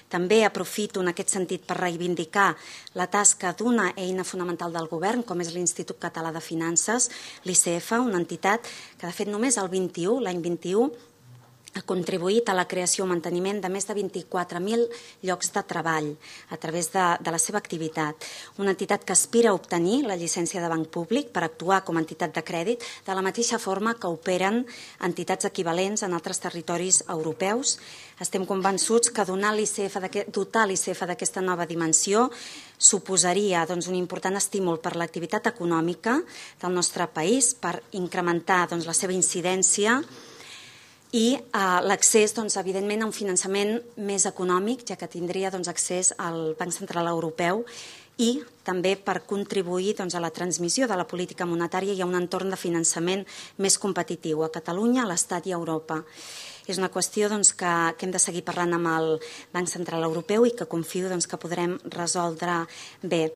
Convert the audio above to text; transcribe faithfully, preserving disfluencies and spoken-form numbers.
També aprofito en aquest sentit per reivindicar la tasca d'una eina fonamental del govern, com és l'Institut Català de Finances, l'I C F, una entitat que de fet només el vint-i-u, l'any vint-i-u, ha contribuït a la creació o manteniment de més de vint-i-quatre mil llocs de treball a través de, de la seva activitat. Una entitat que aspira a obtenir la llicència de banc públic per actuar com a entitat de crèdit de la mateixa forma que operen entitats equivalents en altres territoris europeus. Estem convençuts que donar l'I C F dotar l'I C F d'aquesta nova dimensió suposaria doncs, un important estímul per l'activitat econòmica del nostre país, per incrementar doncs, la seva incidència i eh, l'accés, doncs, evidentment, a un finançament més econòmic, ja que tindria doncs, accés al Banc Central Europeu, i també per contribuir doncs, a la transmissió de la política monetària i a un entorn de finançament més competitiu a Catalunya, a l'Estat i a Europa. És una qüestió doncs, que, que hem de seguir parlant amb el Banc Central Europeu i que confio doncs, que podrem resoldre bé.